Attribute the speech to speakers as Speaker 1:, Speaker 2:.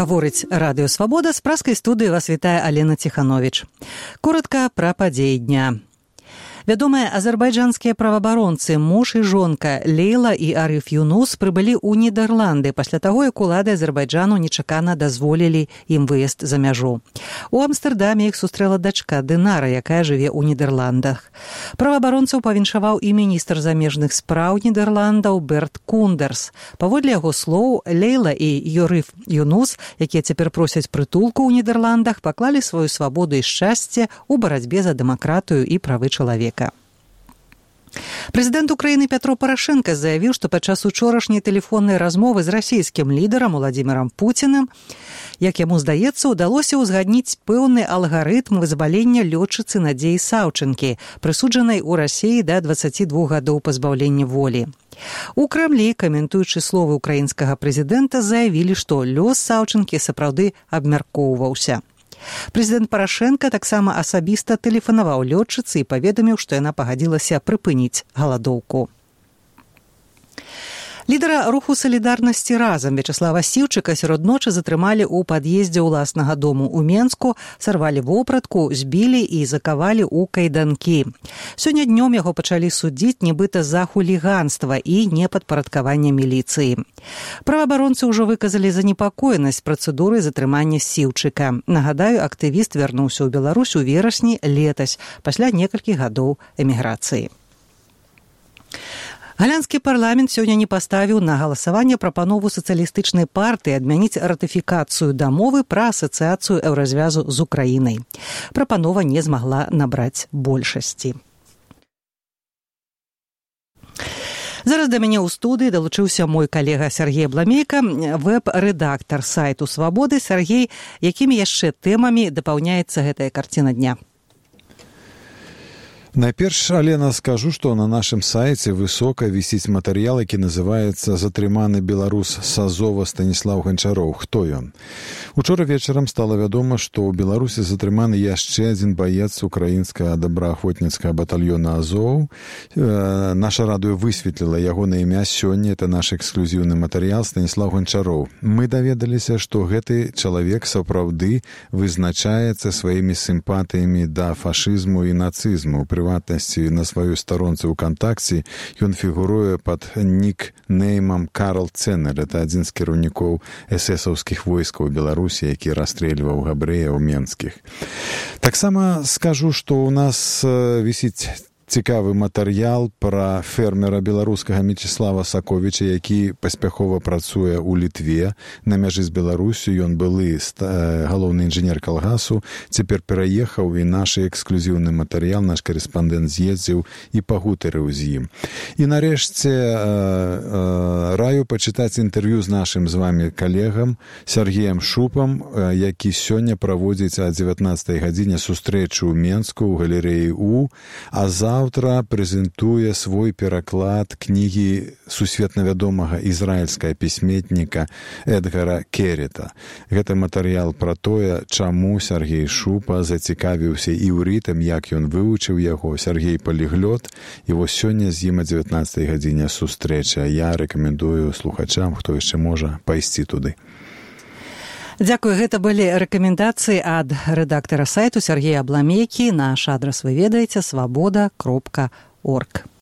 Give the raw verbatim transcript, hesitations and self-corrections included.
Speaker 1: Гаворыць радыё «Свабода», з праскай студыі вас вітае Алена Ціхановіч. Коротка пра падзеі дня. Вядомыя азербайджанскія праваабаронцы муж і жонка Лейла і Ариф Юнус прыбылі ў Нідерланды пасля таго, як улады Азербайджану нечакана дазволілі ім выезд за мяжу. У Амстэрдаме іх сустрэла дачка Дынара, якая жыве ў Нідерландах. Праваабаронцаў павіншаваў і міністр замежных спраў Нідерландаў Берт Кундерс. Паводле яго слоў, Лейла і Ариф Юнус, якія цяпер просяць прытулку ў Нідерландах, паклалі сваю свабоду і шчасце ў барацьбе за дэмакратыю і правы чалавека. Прэзідэнт Украіны Пятро Парашенка заявіў, што падчас учорашняй тэлефоннай размовы з расійскім лідарам Уладзімірам Пуціным, як яму здаецца, удалося ўзгадніць пэўны алгарытм вызвалення лётчыцы Надзеі Саўчынкі, прысуджанай у Расіі да дваццаці двух гадоў пазбаўлення волі. У Крамлі, каментуючы словы украінскага прэзідэнта, заявілі, што лёс Саўчынкі сапраўды абмяркоўваўся. Прэзідэнт Парашенка таксама асабіста тэлефанаваў лётчыцы і паведаміў, што яна пагадзілася прыпыніць галадоўку. Лідара руху салідарнасці «Разам» Вячаслава Сіўчыка сярод ночы затрымалі ў пад'ездзе ўласнага дому ў Менску, сарвалі вопратку, збілі і закавалі ў кайданкі. Сёння днём яго пачалі судзіць нібыта за хуліганства і непадпарадкаванне міліцыі. Праваабаронцы ўжо выказалі занепакоенасць працэдурай затрымання Сіўчыка. Нагадаю, актывіст вярнуўся ў Беларусь у верасні летась, пасля некалькіх гадоў эміграцыі. Галянскі парламент сёння не паставіў на галасаванне прапанову сацыялістычнай партыі адмяніць ратыфікацыю дамовы пра асацыяцыю еўразвязу з Украінай. Прапанова не змагла набраць большасці. Зараз да мяне ў студыі далучыўся мой калега Сергей Абламейка, вэб-рэдактар сайту «Свабоды». Сергей, якімі яшчэ тэмамі дапаўняецца гэтая карціна дня?
Speaker 2: Найперш, Алена, скажу, што на нашым сайце высока вісіць матэрыял, які называецца «Затрыманы беларус з Азова Станіслаў Ганчароў. Хто ён?». Учора вечарам стала вядома, што ў Беларусі затрыманы яшчэ адзін баец украінскага добраахвотніцкага батальёна «Азоў». Э, наша радыё высветліла яго на імя сёння. Это наш эксклюзіўны матэрыял Станіслаў Ганчароў. Мы даведаліся, што гэты чалавек сапраўды вызначаецца сваімі сімпатыямі да фашызму і нацызму. Прыватнасці на сваёй старонцы ВКонтакце ён фігуруе пад нікнеймам Карл Ценнер. Это адзін з кіраўнікоў эсэсаўскіх войскаў Беларусі, які расстрэльваў габрэяў менскіх. Таксама скажу, што ў нас вісіць цікавы матэрыял пра фермера беларускага Мечыслава Саковіча, які паспяхова працуе ў Літве на мяжы з Беларусю. Ён былы галоўны інжынер калгасу, цяпер пераехаў, і наш эксклюзіўны матэрыял, наш карэспандэнт з'ездзіў і пагутарыў з ім. І нарэшце раю пачытаць інтэрв'ю з нашым з вами калегам Сергеем Шупам, які сёння праводзіць о дзевятнаццатай гадзіне сустрэчу ў Менску ў галерэі У, а за Заўтра прэзентуе свой пераклад кнігі сусветна вядомага ізраільскага пісьменніка Эдгара Керета. Гэта матэрыял пра тое, чаму Сергей Шупа зацікавіўся іўрытам, як ён вывучыў яго. Сергей паліглот, і вось сёння з ім о дзевятнаццатай гадзіне сустрэча. Я рэкамендую слухачам, хто яшчэ можа, пайсці туды.
Speaker 1: Дзякую, гэта былі рэкамендацыі ад рэдактара сайту Сергея Абламейкі. Наш адрас вы ведаеце — свабода кропка орг.